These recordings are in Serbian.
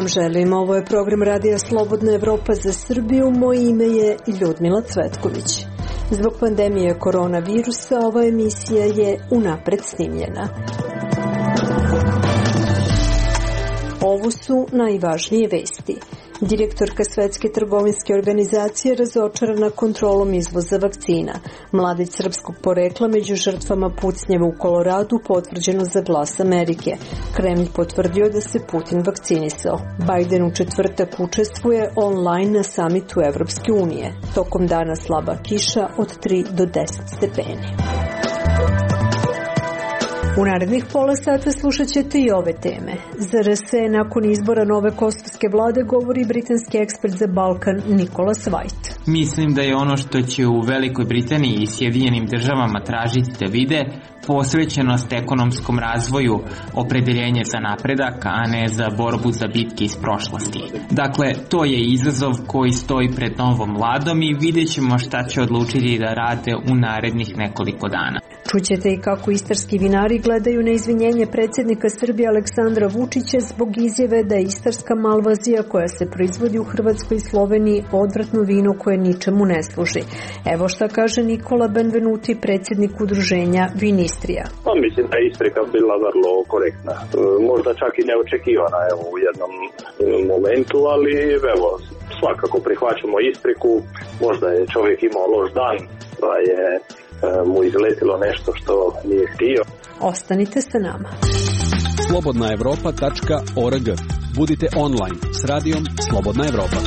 vam želim. Ovo je program Radija Slobodna Evropa za Srbiju. Moje ime je Ljudmila Cvetković. Zbog pandemije koronavirusa ova emisija je unapred snimljena. Ovo su najvažnije vesti. Direktorka Svetske trgovinske organizacije razočarana kontrolom izvoza vakcina. Mladić srpskog porekla među žrtvama pucnjeva u Koloradu potvrđeno za Glas Amerike. Kremlj potvrdio da se Putin vakcinisao. Biden u četvrtak učestvuje online na samitu Evropske unije. Tokom dana slaba kiša od 3 do 10 stepeni. U narednih pola sata slušat ćete i ove teme. Zar se nakon izbora nove kosovske vlade, govori britanski ekspert za Balkan Nicholas White. Mislim da je ono što će u Velikoj Britaniji i Sjedinjenim državama tražiti da vide posvećenost ekonomskom razvoju, opredeljenje za napredak, a ne za borbu za bitke iz prošlosti. Dakle, to je izazov koji stoji pred novom vladom i vidjet ćemo šta će odlučiti da rade u narednih nekoliko dana. Čućete i kako istarski vinari gledaju na izvinjenje predsjednika Srbije Aleksandra Vučića zbog izjave da je istarska malvazija koja se proizvodi u Hrvatskoj i Sloveniji odvratno vino koje ničemu ne služi. Evo šta kaže Nikola Benvenuti, predsjednik udruženja Vinistrija. Mislim da je isprika bila vrlo korektna. Možda čak i neočekivana u jednom momentu, ali evo, svakako prihvaćamo ispriku. Možda je čovjek imao loš dan, pa je mu izletilo nešto što nije htio. Ostanite sa nama. slobodnaevropa.org. Budite online s radijom Slobodna Evropa.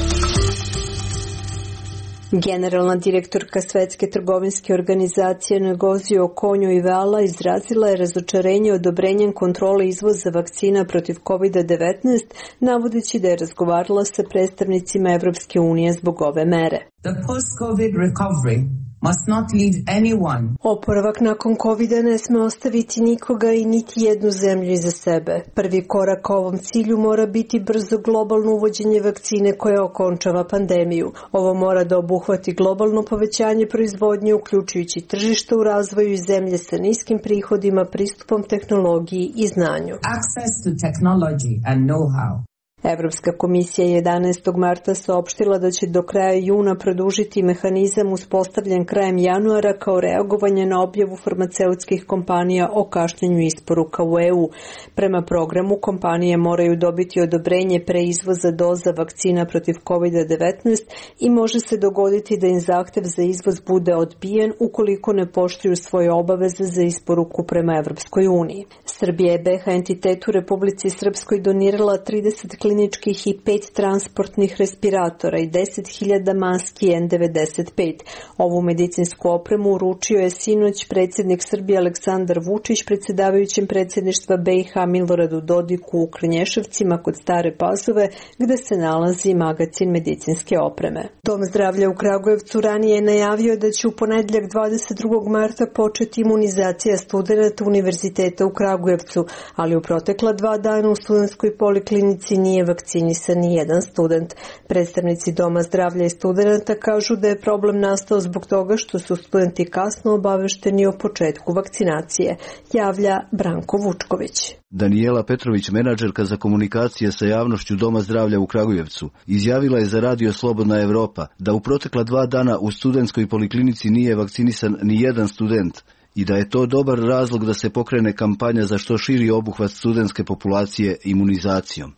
Generalna direktorka Svetske trgovinske organizacije Ngozi Okonjo-Iweala izrazila je razočarenje odobrenjem kontrole izvoza vakcina protiv COVID-19, navodeći da je razgovarala sa predstavnicima Evropske unije zbog ove mere. The post-COVID recovery must not leave anyone. Oporavak nakon COVID-a ne sme ostaviti nikoga i niti jednu zemlju iza sebe. Prvi korak ka ovom cilju mora biti brzo globalno uvođenje vakcine koja okončava pandemiju. Ovo mora da obuhvati globalno povećanje proizvodnje, uključujući tržište u razvoju i zemlje sa niskim prihodima, pristupom tehnologiji i znanju. Access to technology and know-how. Evropska komisija 11. marta saopštila da će do kraja juna produžiti mehanizam uspostavljen krajem januara kao reagovanje na objavu farmaceutskih kompanija o kašnjenju isporuka u EU. Prema programu, kompanije moraju dobiti odobrenje preizvoza doza vakcina protiv COVID-19 i može se dogoditi da im zahtev za izvoz bude odbijen ukoliko ne poštuju svoje obaveze za isporuku prema Evropskoj uniji. Srbija je BiH entitetu Republici Srpskoj donirala 30 kliničkih i 5 transportnih respiratora i 10.000 maski N95. Ovu medicinsku opremu uručio je sinoć predsjednik Srbije Aleksandar Vučić predsjedavajućem predsjedništva BiH Miloradu Dodiku u Krnješevcima kod Stare Pazove, gde se nalazi magacin medicinske opreme. Dom zdravlja u Kragujevcu ranije je najavio da će u ponedjeljak 22. marta početi imunizacija studenata Univerziteta u Kragujevcu, ali u protekla 2 dana u studentskoj poliklinici nije vakcinisan ni jedan student. Predstavnici Doma zdravlja i studenta kažu da je problem nastao zbog toga što su studenti kasno obavešteni o početku vakcinacije, javlja Branko Vučković. Danijela Petrović, menadžerka za komunikacije sa javnošću Doma zdravlja u Kragujevcu, izjavila je za Radio Slobodna Evropa da u protekla 2 dana u studentskoj poliklinici nije vakcinisan ni jedan student i da je to dobar razlog da se pokrene kampanja za što širi obuhvat studentske populacije imunizacijom.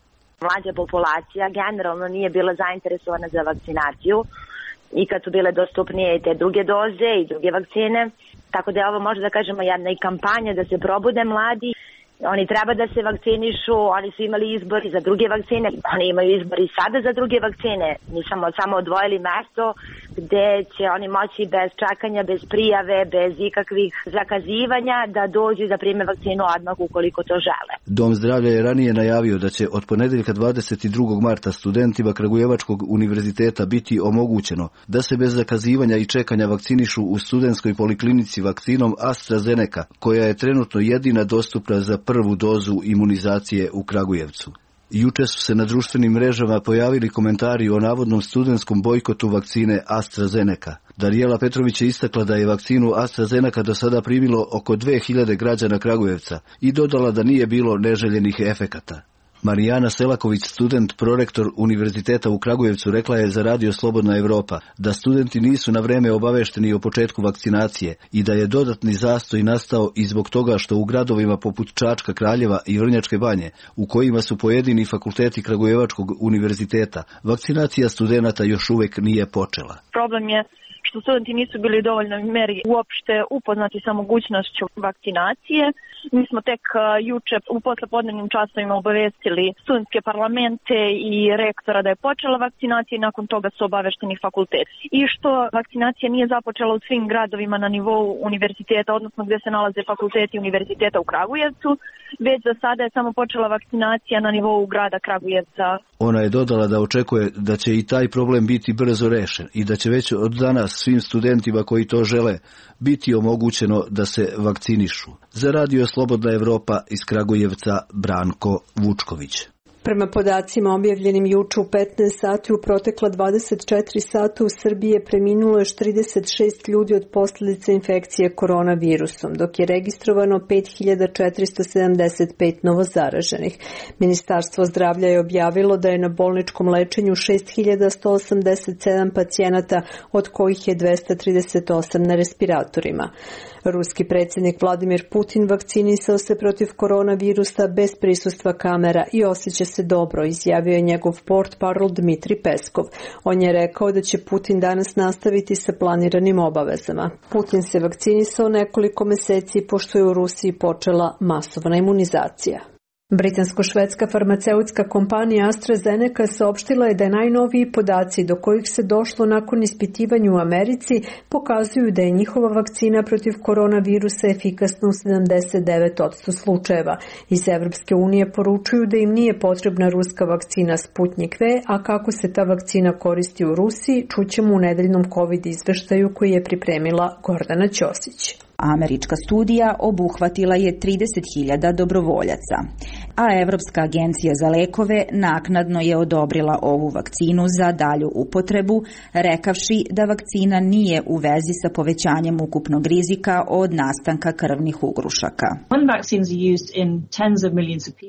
Mlađa populacija generalno nije bila zainteresovana za vakcinaciju i kad su bile dostupnije i te druge doze i druge vakcine. Tako da je ovo, možda da kažemo, jedna i kampanja da se probude mladi. Oni treba da se vakcinišu, oni su imali izbor za druge vakcine, oni imaju izbor i sada za druge vakcine. Mi smo samo odvojili mesto gde će oni moći bez čekanja, bez prijave, bez ikakvih zakazivanja da dođu da prime vakcinu odmah ukoliko to žele. Dom zdravlja je ranije najavio da će od ponedjeljka 22. marta studentima Kragujevačkog univerziteta biti omogućeno da se bez zakazivanja i čekanja vakcinišu u studentskoj poliklinici vakcinom AstraZeneca, koja je trenutno jedina dostupna za prvu dozu imunizacije u Kragujevcu. Juče su se na društvenim mrežama pojavili komentari o navodnom studentskom bojkotu vakcine AstraZeneca. Danijela Petrović je istakla da je vakcinu AstraZeneca do sada primilo oko 2000 građana Kragujevca i dodala da nije bilo neželjenih efekata. Marijana Selaković, student, prorektor Univerziteta u Kragujevcu, rekla je za Radio Slobodna Evropa da studenti nisu na vreme obavešteni o početku vakcinacije i da je dodatni zastoj nastao i zbog toga što u gradovima poput Čačka, Kraljeva i Vrnjačke Banje, u kojima su pojedini fakulteti Kragujevačkog univerziteta, vakcinacija studenata još uvek nije počela. Problem je što studenti nisu bili u dovoljnoj meri uopšte upoznati sa mogućnošću vakcinacije. Mi smo tek juče u poslepodnevnim časovima obavestili studentske parlamente i rektora da je počela vakcinacija i nakon toga su obavešteni fakulteti. I što vakcinacija nije započela u svim gradovima na nivou univerziteta, odnosno gdje se nalaze fakulteti univerziteta u Kragujevcu, već za sada je samo počela vakcinacija na nivou grada Kragujevca. Ona je dodala da očekuje da će i taj problem biti brzo rešen i da će već od danas svim studentima koji to žele biti omogućeno da se vakcinišu. Za Radio Slobodna Evropa iz Kragujevca, Branko Vučković. Prema podacima objavljenim juče u 15 sati, u protekla 24 sata u Srbiji je preminulo još 36 ljudi od posljedica infekcije koronavirusom, dok je registrovano 5475 novozaraženih. Ministarstvo zdravlja je objavilo da je na bolničkom lečenju 6187 pacijenata, od kojih je 238 na respiratorima. Ruski predsjednik Vladimir Putin vakcinisao se protiv koronavirusa bez prisustva kamera i osjeća se dobro, izjavio je njegov portparol Dmitri Peskov. On je rekao da će Putin danas nastaviti sa planiranim obavezama. Putin se vakcinisao nekoliko meseci pošto je u Rusiji počela masovna imunizacija. Britansko-švedska farmaceutska kompanija AstraZeneca saopštila je da najnoviji podaci do kojih se došlo nakon ispitivanja u Americi pokazuju da je njihova vakcina protiv koronavirusa efikasna u 79% slučajeva. Iz Evropske unije poručuju da im nije potrebna ruska vakcina Sputnik V, a kako se ta vakcina koristi u Rusiji, čućemo u nedeljnom COVID izveštaju koji je pripremila Gordana Ćosić. Američka studija obuhvatila je 30.000 dobrovoljaca, a Evropska agencija za lekove naknadno je odobrila ovu vakcinu za dalju upotrebu, rekavši da vakcina nije u vezi sa povećanjem ukupnog rizika od nastanka krvnih ugrušaka.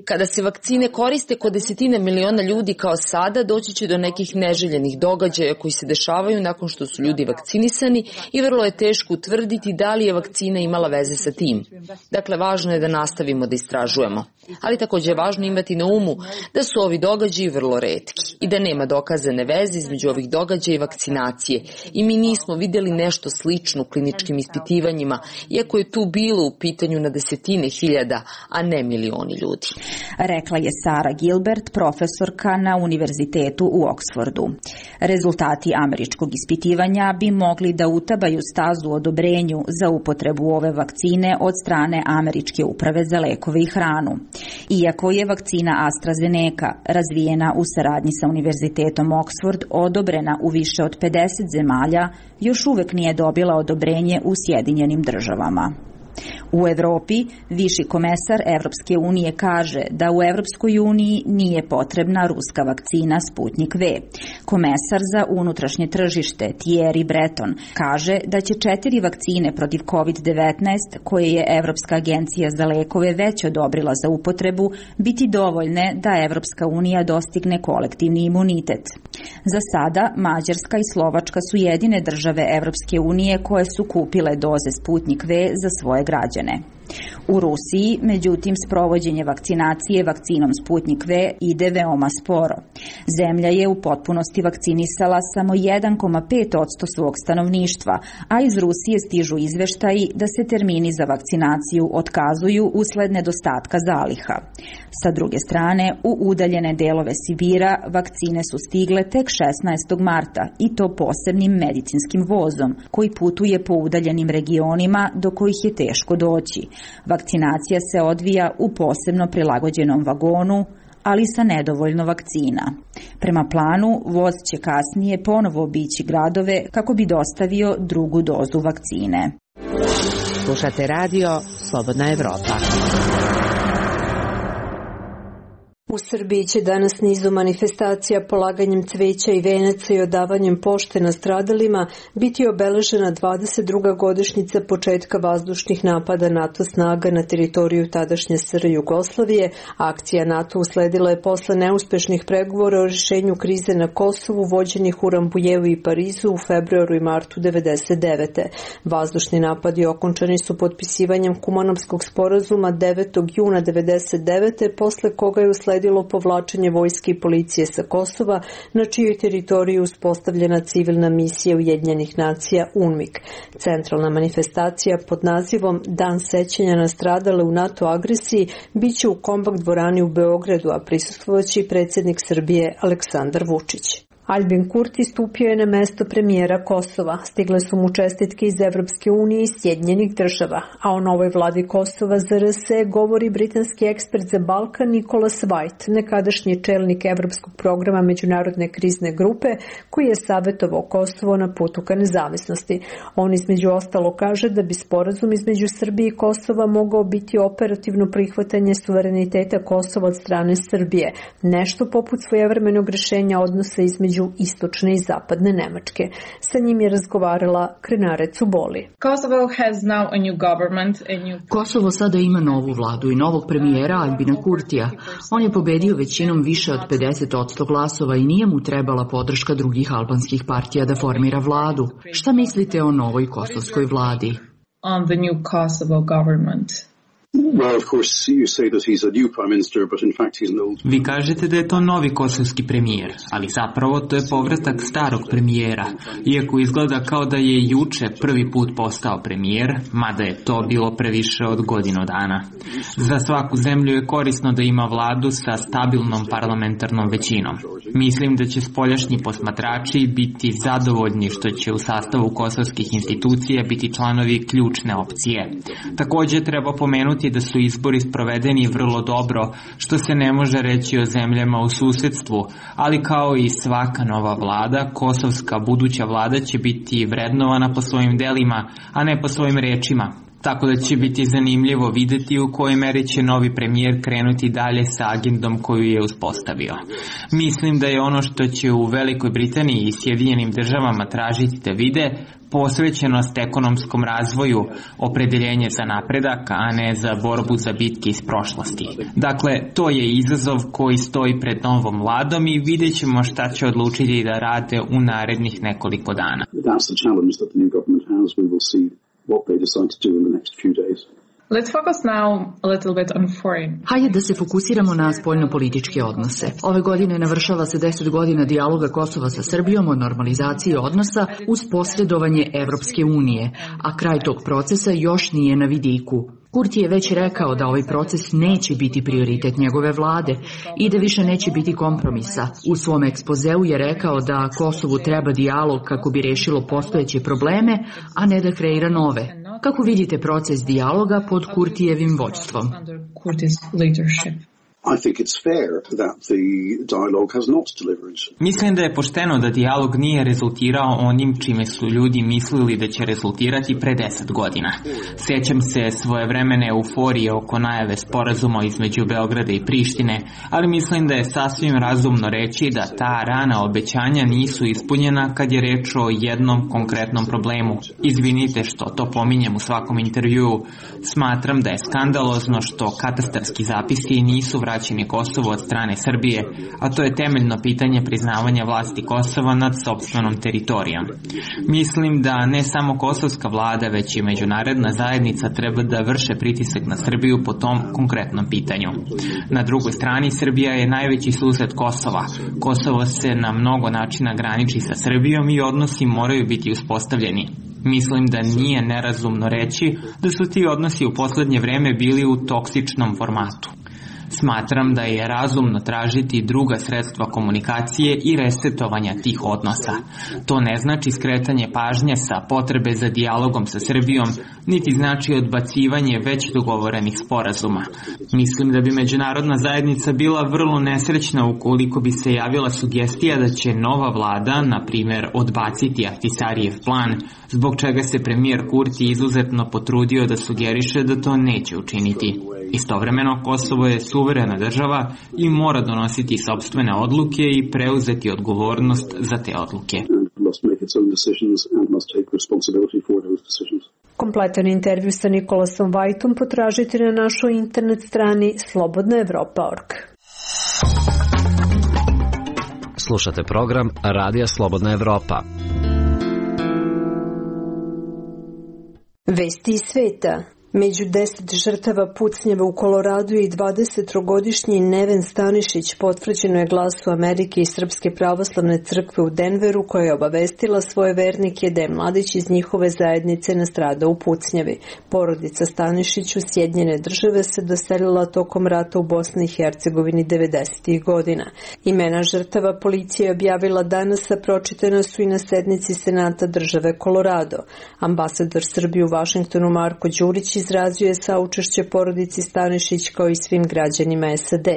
Kada se vakcine koriste kod desetine miliona ljudi kao sada, doći će do nekih neželjenih događaja koji se dešavaju nakon što su ljudi vakcinisani i vrlo je teško utvrditi da li je vakcina imala veze sa tim. Dakle, važno je da nastavimo da istražujemo. Ali također je važno imati na umu da su ovi događaji vrlo retki i da nema dokazane veze između ovih događaja i vakcinacije. I mi nismo vidjeli nešto slično u kliničkim ispitivanjima, iako je tu bilo u pitanju na desetine hiljada, a ne milioni ljudi. Rekla je Sara Gilbert, profesorka na univerzitetu u Oksfordu. Rezultati američkog ispitivanja bi mogli da utabaju stazu odobrenju za upotrebu ove vakcine od strane Američke uprave za lekove i hranu. Iako je vakcina AstraZeneca razvijena u saradnji sa Univerzitetom Oksford odobrena u više od 50 zemalja, još uvek nije dobila odobrenje u Sjedinjenim Državama. U Evropi, viši komesar Evropske unije kaže da u Evropskoj uniji nije potrebna ruska vakcina Sputnik V. Komesar za unutrašnje tržište Thierry Breton kaže da će 4 vakcine protiv COVID-19 koje je Evropska agencija za lekove već odobrila za upotrebu biti dovoljne da Evropska unija dostigne kolektivni imunitet. Za sada Mađarska i Slovačka su jedine države Evropske unije koje su kupile doze Sputnik V za svoje građane. U Rusiji, međutim, sprovođenje vakcinacije vakcinom Sputnik V ide veoma sporo. Zemlja je u potpunosti vakcinisala samo 1,5% svog stanovništva, a iz Rusije stižu izveštaji da se termini za vakcinaciju otkazuju usled nedostatka zaliha. Sa druge strane, u udaljene delove Sibira vakcine su stigle tek 16. marta i to posebnim medicinskim vozom koji putuje po udaljenim regionima do kojih je teško doći. Vakcinacija se odvija u posebno prilagođenom vagonu, ali sa nedovoljno vakcina. Prema planu, voz će kasnije ponovo obići gradove kako bi dostavio drugu dozu vakcine. Slušate radio Slobodna Evropa. U Srbiji će danas nizu manifestacija polaganjem cveća i venaca i odavanjem pošte nastradalima biti obeležena 22. godišnjica početka vazdušnih napada NATO snaga na teritoriju tadašnje SR Jugoslavije. Akcija NATO usledila je posle neuspešnih pregovora o rješenju krize na Kosovu vođenih u Rambujevu i Parizu u februaru i martu 1999. Vazdušni napadi okončani su potpisivanjem Kumanovskog sporazuma 9. juna 1999. posle koga je usledilo povlačenje vojske i policije sa Kosova, na čijoj teritoriji uspostavljena civilna misija Ujedinjenih nacija UNMIK. Centralna manifestacija pod nazivom Dan sećanja na stradale u NATO agresiji biće u Kombak dvorani u Beogradu, a prisustvovaće predsjednik Srbije Aleksandar Vučić. Albin Kurti stupio je na mesto premijera Kosova. Stigle su mu čestitke iz Evropske unije i Sjedinjenih država, a o novoj vladi Kosova za RS govori britanski ekspert za Balkan Nicholas White, nekadašnji čelnik Evropskog programa Međunarodne krizne grupe, koji je savjetovao Kosovo na putu ka nezavisnosti. On između ostalo kaže da bi sporazum između Srbije i Kosova mogao biti operativno prihvatanje suvereniteta Kosova od strane Srbije, nešto poput svojevremenog rješenja odnosa između istočne i zapadne Nemačke. Sa njim je razgovarala Krenare Cuboli. Kosovo sada ima novu vladu i novog premijera Albina Kurtija. On je pobedio većinom više od 50% glasova i nije mu trebala podrška drugih albanskih partija da formira vladu. Šta mislite o novoj kosovskoj vladi? On the new Kosovo government. Well, of course, you say that he's a new prime minister, but in fact he's an old... Vi kažete da je to novi kosovski premijer, ali zapravo to je povratak starog premijera, iako izgleda kao da je juče prvi put postao premijer, mada je to bilo previše od godinu dana. Za svaku zemlju je korisno da ima vladu sa stabilnom parlamentarnom većinom. Mislim da će spoljašnji posmatrači biti zadovoljni što će u sastavu kosovskih institucija biti članovi ključne opcije. Također treba pomenuti da su izbori sprovedeni vrlo dobro, što se ne može reći o zemljama u susedstvu, ali kao i svaka nova vlada, kosovska buduća vlada će biti vrednovana po svojim delima, a ne po svojim rečima. Tako da će biti zanimljivo vidjeti u kojoj meri će novi premijer krenuti dalje sa agendom koju je uspostavio. Mislim da je ono što će u Velikoj Britaniji i Sjedinjenim državama tražiti da vide posvećenost ekonomskom razvoju, opredeljenje za napredak, a ne za borbu za bitke iz prošlosti. Dakle, to je izazov koji stoji pred novom vladom i vidjet ćemo šta će odlučiti da rade u narednih nekoliko dana. What they decide to do in the next few days. Let's focus now a little bit on foreign. Hajde da se fokusiramo na spoljnopolitičke odnose. Ove godine navršava se 10 godina dijaloga Kosova sa Srbijom o normalizaciji odnosa uz posredovanje Evropske unije, a kraj tog procesa još nije na vidiku. Kurti je već rekao da ovaj proces neće biti prioritet njegove vlade i da više neće biti kompromisa. U svom ekspozeu je rekao da Kosovu treba dijalog kako bi rešilo postojeće probleme, a ne da kreira nove. Kako vidite proces dijaloga pod Kurtijevim vođstvom? I think it's fair that the dialogue has not delivered. Mislim da je pošteno da dijalog nije rezultirao onim čime su ljudi mislili da će rezultirati pre 10 godina. Sjećam se svojevremene euforije oko najave sporazuma između Beograda i Prištine, ali mislim da je sasvim razumno reći da ta rana obećanja nisu ispunjena kad je reč o jednom konkretnom problemu. Izvinite što to pominjem u svakom intervjuu. Smatram da je skandalozno što katastarski zapisi nisu vraćeni Kosovu od strane Srbije, a to je temeljno pitanje priznavanja vlasti Kosova nad sopstvenom teritorijom. Mislim da ne samo kosovska vlada, već i međunarodna zajednica treba da vrše pritisak na Srbiju po tom konkretnom pitanju. Na drugoj strani, Srbija je najveći sused Kosova. Kosovo se na mnogo načina graniči sa Srbijom i odnosi moraju biti uspostavljeni. Mislim da nije nerazumno reći da su ti odnosi u posljednje vreme bili u toksičnom formatu. Smatram da je razumno tražiti druga sredstva komunikacije i resetovanja tih odnosa. To ne znači skretanje pažnje sa potrebe za dijalogom sa Srbijom, niti znači odbacivanje već dogovorenih sporazuma. Mislim da bi međunarodna zajednica bila vrlo nesrećna ukoliko bi se javila sugestija da će nova vlada, na primjer, odbaciti Ahtisarijev plan, zbog čega se premijer Kurti izuzetno potrudio da sugeriše da to neće učiniti. Istovremeno, Kosovo je suverena država i mora donositi sopstvene odluke i preuzeti odgovornost za te odluke. Kompletan intervju sa Nikolasom Vajtom potražite na našoj internet strani slobodnaevropa.org. Slušate program Radija Slobodna Evropa. Vesti iz sveta. Među 10 žrtava pucnjeva u Koloradu i 23-godišnji Neven Stanišić potvrđeno je Glasu Amerike i Srpske pravoslavne crkve u Denveru, koja je obavestila svoje vernike da je mladić iz njihove zajednice nastradao u pucnjevi. Porodica Stanišić u Sjedinjene Države se doselila tokom rata u Bosni i Hercegovini 90. godina. Imena žrtava policija je objavila danas, a pročitana su i na sednici Senata države Kolorado. Ambasador Srbije u Vašingtonu Marko Đurić izrazio je saučešće porodici Stanišić kao i svim građanima SAD.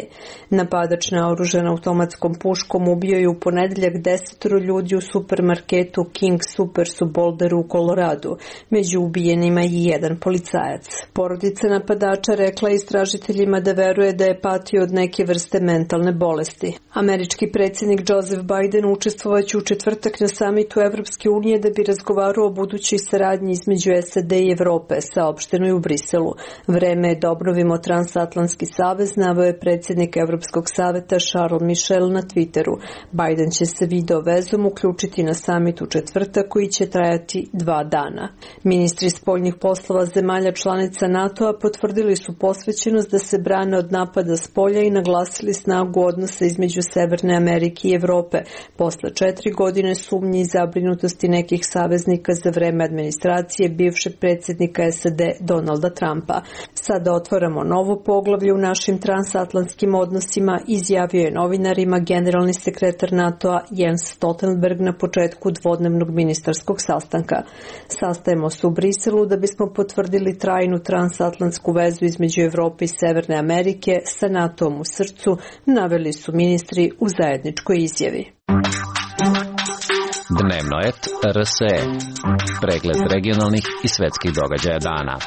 Napadač naoružan automatskom puškom ubio je u ponedeljak 10 ljudi u supermarketu King Supers u Boulderu u Koloradu. Među ubijenima i jedan policajac. Porodica napadača rekla istražiteljima da veruje da je patio od neke vrste mentalne bolesti. Američki predsjednik Joseph Biden učestvovaće u četvrtak na samitu Evropske unije da bi razgovarao o budućoj saradnji između SAD i Evrope, saopšteno je u Briselu. Vreme je da obnovimo transatlantski savez, naveo je predsjednik Evropskog saveta Charles Michel na Twitteru. Biden će se video vezom uključiti na samit u četvrtak koji će trajati 2 dana. Ministri spoljnih poslova zemalja članica NATO-a potvrdili su posvećenost da se brane od napada s polja i naglasili snagu odnosa između Severne Amerike i Evrope posle 4 godine sumnji i zabrinutosti nekih saveznika za vreme administracije bivšeg predsjednika SAD Donalda Trumpa. Sada otvaramo novo poglavlje u našim transatlantskim odnosima, izjavio je novinarima generalni sekretar NATO-a Jens Stoltenberg na početku dvodnevnog ministarskog sastanka. Sastajemo se u Briselu da bismo potvrdili trajnu transatlantsku vezu između Evrope i Severne Amerike sa NATO-om u srcu, naveli su ministri u zajedničkoj izjavi. Dnevnoet RSE. Pregled regionalnih i svetskih događaja dana.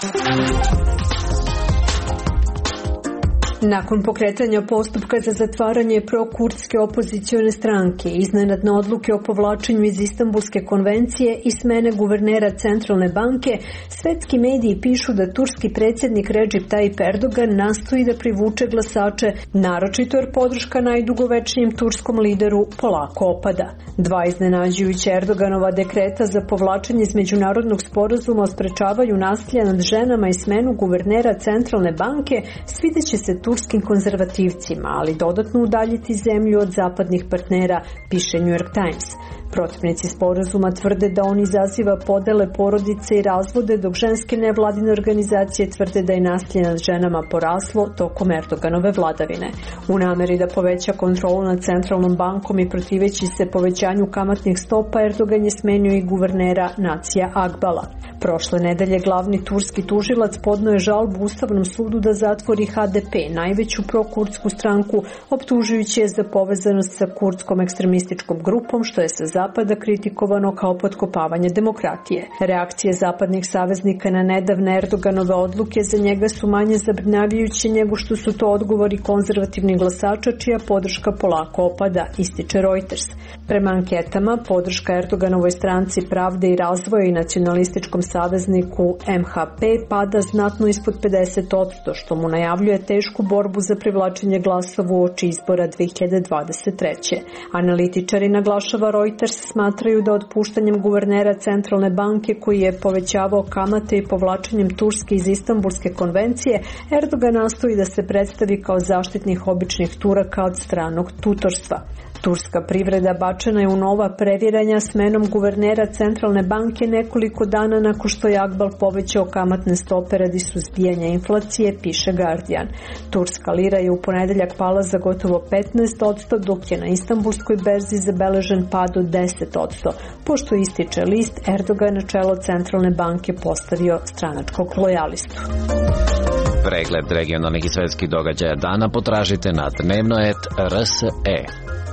Nakon pokretanja postupka za zatvaranje prokurdske opozicione stranke, iznenadne odluke o povlačenju iz Istanbulske konvencije i smene guvernera Centralne banke, svetski mediji pišu da turski predsjednik Recep Tayyip Erdogan nastoji da privuče glasače, naročito jer podrška najdugovečnijem turskom lideru polako opada. 2 iznenađujuća Erdoganova dekreta za povlačenje iz međunarodnog sporazuma o sprečavanju nasilja nad ženama i smenu guvernera Centralne banke svideće se turskim konzervativcima, ali dodatno udaljiti zemlju od zapadnih partnera, piše New York Times. Protivnici sporazuma tvrde da on izaziva podele porodice i razvode, dok ženske nevladine organizacije tvrde da je nasilje nad ženama poraslo tokom Erdoganove vladavine. U nameri da poveća kontrolu nad Centralnom bankom i protiveći se povećanju kamatnih stopa, Erdogan je smenio i guvernera Nacija Agbala. Prošle nedelje glavni turski tužilac podneo je žalbu Ustavnom sudu da zatvori HDP, najveću prokurdsku stranku, optužujući je za povezanost sa kurdskom ekstremističkom grupom, što je sa zapada kritikovano kao potkopavanje demokratije. Reakcije zapadnih saveznika na nedavne Erdoganove odluke za njega su manje zabrinjavajuće nego što su to odgovori konzervativnih glasača, čija podrška polako opada, ističe Reuters. Prema anketama, podrška Erdoganovoj stranci Pravde i razvoja i nacionalističkom savezniku MHP pada znatno ispod 50%, što mu najavljuje tešku borbu za privlačenje glasova uoči izbora 2023. Analitičari, naglašava Reuters, smatraju da otpuštanjem guvernera Centralne banke, koji je povećavao kamate i povlačenjem Turske iz Istanbulske konvencije, Erdogan nastoji da se predstavi kao zaštitnik običnih Turaka od stranog tutorstva. Turska privreda bačena je u nova previranja smenom guvernera Centralne banke nekoliko dana nakon što je Akbal povećao kamatne stope radi suzbijanja inflacije, piše Guardian. Turska lira je u ponedeljak pala za gotovo 15%, dok je na Istanbulskoj berzi zabeležen pad od 10%, pošto ističe list, Erdogan na čelo Centralne banke postavio stranačkog lojalistu. Pregled regionalnih i svetskih događaja dana potražite na Dnevnoet RSE.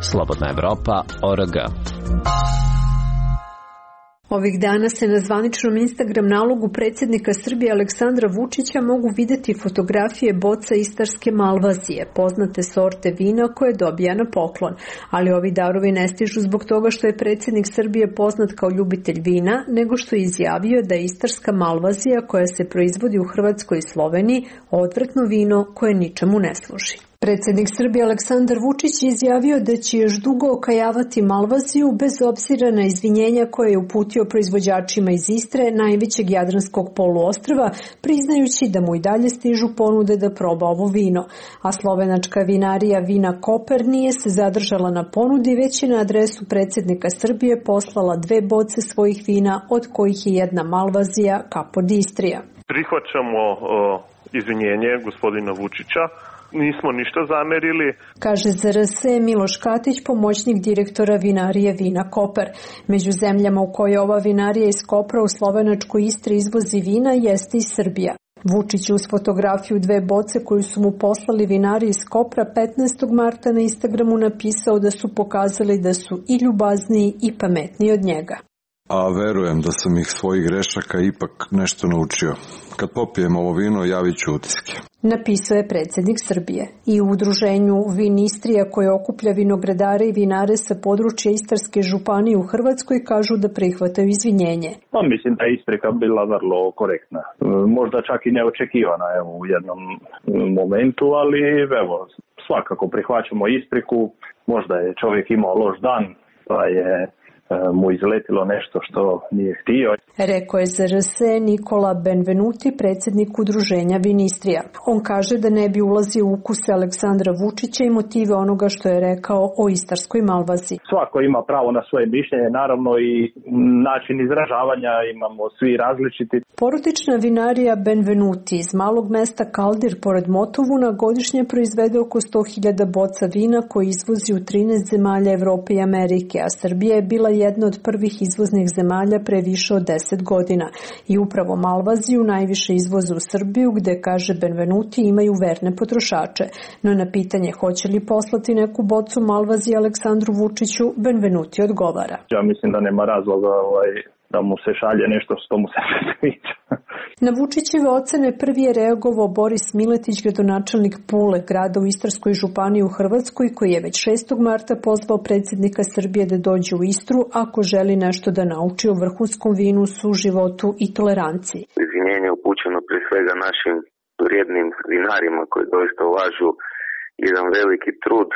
Slobodna Evropa.org. Ovih dana se na zvaničnom Instagram nalogu predsjednika Srbije Aleksandra Vučića mogu videti fotografije boca istarske malvazije, poznate sorte vina koje dobija na poklon. Ali ovi darovi ne stižu zbog toga što je predsjednik Srbije poznat kao ljubitelj vina, nego što je izjavio da je istarska malvazija koja se proizvodi u Hrvatskoj i Sloveniji odvratno vino koje ničemu ne služi. Predsjednik Srbije Aleksandar Vučić izjavio da će još dugo okajavati malvaziju bez obzira na izvinjenja koje je uputio proizvođačima iz Istre, najvećeg jadranskog poluostrva, priznajući da mu i dalje stižu ponude da proba ovo vino. A slovenačka vinarija Vina Koper nije se zadržala na ponudi, već je na adresu predsjednika Srbije poslala 2 boce svojih vina, od kojih je jedna malvazija Capodistrija. Prihvaćamo izvinjenje gospodina Vučića. Nismo ništa zamerili. Kaže za RS Miloš Katić, pomoćnik direktora vinarije Vina Koper. Među zemljama u kojoj ova vinarija iz Kopra u slovenačkoj Istri izvozi vina jeste i Srbija. Vučić uz fotografiju 2 boce koju su mu poslali vinari iz Kopra 15. marta na Instagramu napisao da su pokazali da su i ljubazniji i pametniji od njega. A verujem da sam ih svojih grešaka ipak nešto naučio. Kad popijem ovo vino, javit ću utiske. Napisao je predsjednik Srbije. I u udruženju Vin Istrija koje okuplja vinogradare i vinare sa područja Istarske županije u Hrvatskoj kažu da prihvataju izvinjenje. Mislim da je isprika bila vrlo korektna. Možda čak i neočekivana u jednom momentu, ali svakako prihvaćamo ispriku. Možda je čovjek imao loš dan, pa je mu izletilo nešto što nije htio. Rekao je za RS Nikola Benvenuti, predsjednik udruženja Vinistrija. On kaže da ne bi ulazio u ukuse Aleksandra Vučića i motive onoga što je rekao o istarskoj malvaziji. Svako ima pravo na svoje mišljenje, naravno i način izražavanja imamo svi različiti. Porodična vinarija Benvenuti iz malog mesta Kaldir pored Motovuna godišnje proizvede oko 100.000 boca vina koji izvozi u 13 zemalja Evrope i Amerike, a Srbija je bila jedna od prvih izvoznih zemalja pre više od 10 godina. I upravo malvaziju najviše izvoze u Srbiju, gde, kaže Benvenuti, imaju verne potrošače. No na pitanje hoće li poslati neku bocu malvazije Aleksandru Vučiću, Benvenuti odgovara. Ja mislim da nema razloga da mu se šalje nešto što mu se ne sviđa. Na Vučićeve ocene prvi je reagovao Boris Miletić, gradonačelnik Pule, grada u Istarskoj županiji u Hrvatskoj, koji je već 6. marta pozvao predsjednika Srbije da dođe u Istru ako želi nešto da nauči o vrhunskom vinu, suživotu i toleranciji. Izvinjenje upućeno pre svega našim vrijednim vinarima koji doista ulažu jedan veliki trud,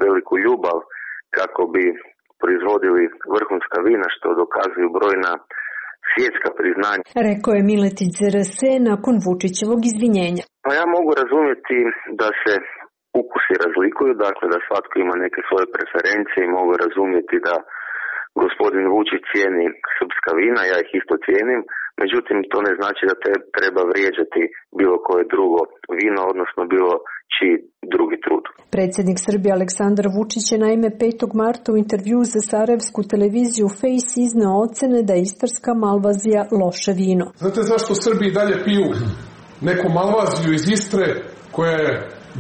veliku ljubav kako bi proizvodili vrhunska vina, što dokazuju brojna svjetska priznanja. Rekao je Miletić za RS nakon Vučićevog izvinjenja. Pa ja mogu razumjeti da se ukusi razlikuju, dakle da svatko ima neke svoje preferencije i mogu razumjeti da gospodin Vučić cijeni srpska vina, ja ih isto cijenim, međutim to ne znači da treba vrijeđati bilo koje drugo vino, odnosno bilo čiji drugi trud. Predsjednik Srbije Aleksandar Vučić je naime 5. marta u intervju za sarajevsku televiziju Face izneo ocene da je istarska malvazija loše vino. Znate zašto Srbi dalje piju neku malvaziju iz Istre koja je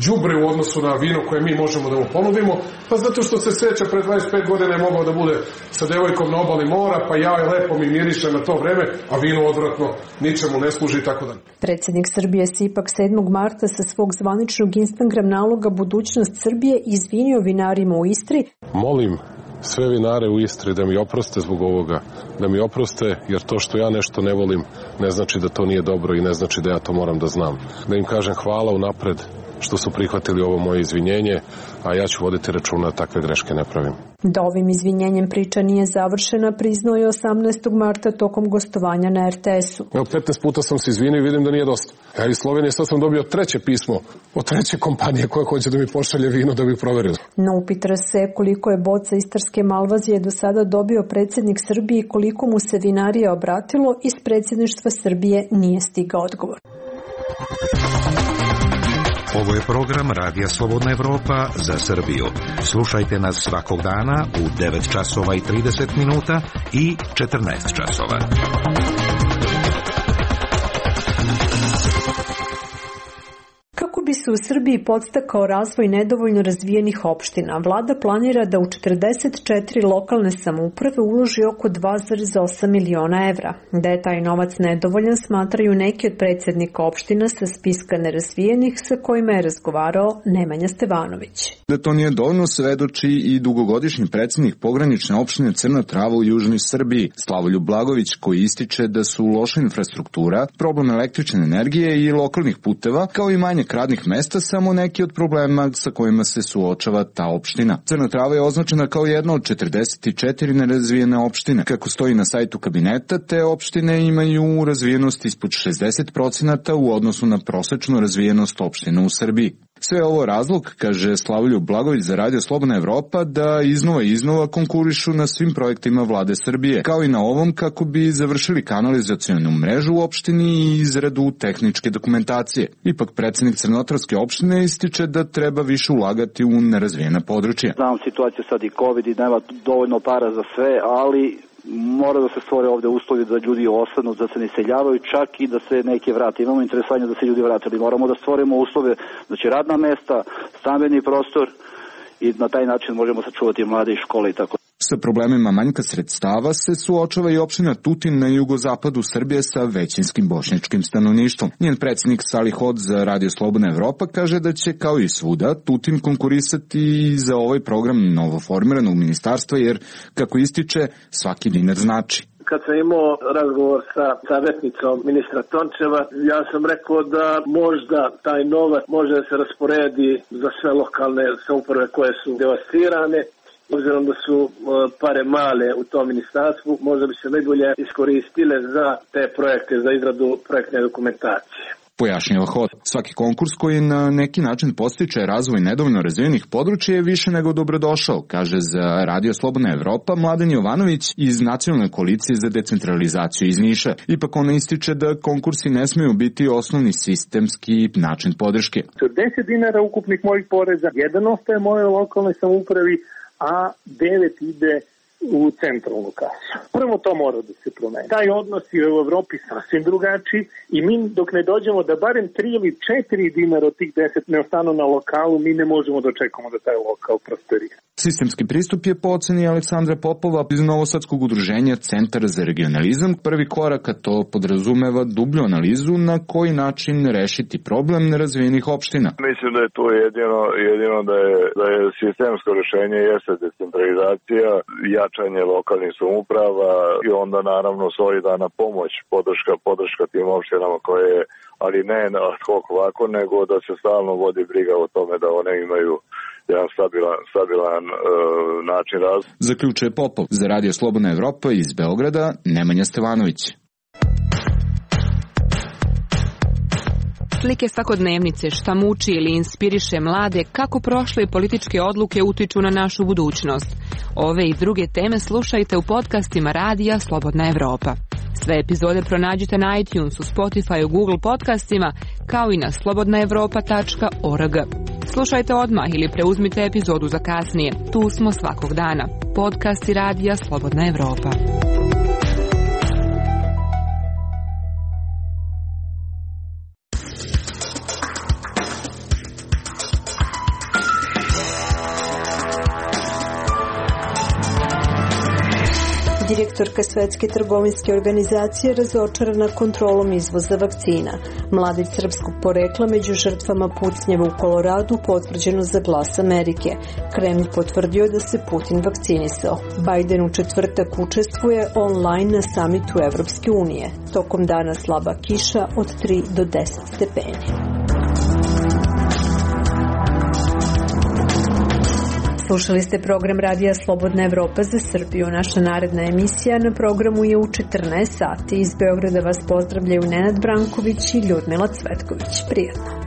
đubre u odnosu na vino koje mi možemo da mu ponudimo? Pa zato što se seća pred 25 godina je mogao da bude sa devojkom na obali mora, pa ja je lepo mi miriše na to vreme, a vino odvratno ničemu ne služi i tako dalje. Predsjednik Srbije se ipak 7. marta sa svog zvaničnog Instagram naloga Budućnost Srbije izvinio vinarima u Istri. Molim sve vinare u Istri da mi oproste zbog ovoga, da mi oproste jer to što ja nešto ne volim ne znači da to nije dobro i ne znači da ja to moram da znam. Da im kažem hvala unapred što su prihvatili ovo moje izvinjenje, a ja ću voditi računa da takve greške ne pravim. Da ovim izvinjenjem priča nije završena, priznao je 18. marta tokom gostovanja na RTS-u. Evo, 15 puta sam se izvinio i vidim da nije dosta. Ja iz Slovenije sad sam dobio 3. pismo od 3. kompanije koja hoće da mi pošalje vino da bi proverili. Na upit se koliko je boca istarske malvazije do sada dobio predsjednik Srbije i koliko mu se vinarija obratilo, iz predsjedništva Srbije nije stigao odgovor. Ovo je program Radija Slobodna Evropa za Srbiju. Slušajte nas svakog dana u 9 časova i 30 minuta i 14 časova. Kako bi se u Srbiji podstakao razvoj nedovoljno razvijenih opština. Vlada planira da u 44 lokalne samouprave uloži oko 2,8 miliona evra. Da je taj novac nedovoljan, smatraju neki od predsjednika opština sa spiska nerazvijenih sa kojima je razgovarao Nemanja Stevanović. Da to nije dovoljno svedoči i dugogodišnji predsjednik pogranične opštine Crna Trava u južnoj Srbiji, Slavoljub Blagović, koji ističe da su loša infrastruktura, problem električne energije i lokalnih puteva, kao i manjak radnih mesta, samo neki od problema sa kojima se suočava ta opština. Crna Trava je označena kao jedna od 44 nerazvijene opštine. Kako stoji na sajtu kabineta, te opštine imaju razvijenost ispod 60% u odnosu na prosečnu razvijenost opština u Srbiji. Sve ovo razlog, kaže Slavoljub Blagović za Radio Slobodna Evropa, da iznova konkurišu na svim projektima vlade Srbije, kao i na ovom kako bi završili kanalizacionu mrežu u opštini i izradu tehničke dokumentacije. Ipak predsjednik Crnotarske opštine ističe da treba više ulagati u nerazvijena područja. Znam situaciju sad i COVID i nema dovoljno para za sve, ali mora da se stvore ovde uslovi da ljudi ostanu, da se ne iseljavaju, čak i da se neki vrate. Imamo interesovanje da se ljudi vrate, ali moramo da stvorimo uslove, znači radna mesta, stambeni prostor i na taj način možemo sačuvati mlade i škole i tako. Sa problemima manjka sredstava se suočava i opština Tutin na jugozapadu Srbije sa većinskim bošnjačkim stanovništvom. Njen predsjednik Salih Hod za Radio Slobodna Evropa kaže da će kao i svuda Tutin konkurisati i za ovaj program novoformiranog ministarstva jer, kako ističe, svaki dinar znači. Kad sam imao razgovor sa savjetnicom ministra Tončeva, ja sam rekao da možda taj novac može da se rasporedi za sve lokalne samouprave koje su devastirane. Obzirom da su pare male u tom ministarstvu, možda bi se najbolje iskoristile za te projekte, za izradu projektne dokumentacije. Pojašnjava Hod. Svaki konkurs koji na neki način podstiče razvoj nedovoljno razvijenih područja je više nego dobrodošao, kaže za Radio Slobodna Evropa Mladen Jovanović iz Nacionalne koalicije za decentralizaciju iz Niša. Ipak ona ističe da konkursi ne smiju biti osnovni sistemski način podrške. 10 dinara ukupnih mojih poreza, 1 ostaje moje lokalnoj samoupravi, a 9 ide u centralnu kasu. Prvo to mora da se promeni. Taj odnos je u Evropi sasvim drugačiji i mi dok ne dođemo da barem 3 ili 4 dinara od tih 10 ne ostanu na lokalu, mi ne možemo da očekamo da taj lokal prosperira. Sistemski pristup je po oceni Aleksandra Popova iz Novosadskog udruženja Centar za regionalizam. Prvi korak, a to podrazumeva dublju analizu na koji način rešiti problem nerazvijenih opština. Mislim da je to jedino da je sistemsko rešenje jeste decentralizacija, jačanje lokalnih samouprava i onda naravno solidana pomoć, podrška tim opštinama koje je, ali ne ad hoc ovako, nego da se stalno vodi briga o tome da one imaju jedan stabilan način razvoja. Zaključuje Popov za Radio Slobodna Evropa iz Beograda Nemanja Stevanović. Slike svakodnevnice, šta muči ili inspiriše mlade, kako prošle političke odluke utiču na našu budućnost. Ove i druge teme slušajte u podcastima Radija Slobodna Evropa. Sve epizode pronađite na iTunesu, Spotifyu, Google podcastima, kao i na slobodnaevropa.org. Slušajte odmah ili preuzmite epizodu za kasnije. Tu smo svakog dana. Podcasti Radija Slobodna Evropa. Direktorka Svetske trgovinske organizacije razočarana kontrolom izvoza vakcina. Mladić srpskog porekla među žrtvama pucnjeva u Koloradu potvrđeno za Glas Amerike. Kremlj potvrdio da se Putin vakcinisao. Biden u četvrtak učestvuje online na samitu Evropske unije. Tokom dana slaba kiša od 3 do 10 stepeni. Slušali ste program Radija Slobodna Evropa za Srbiju. Naša naredna emisija na programu je u 14 sati. Iz Beograda vas pozdravljaju Nenad Branković i Ljudmila Cvetković. Prijatno.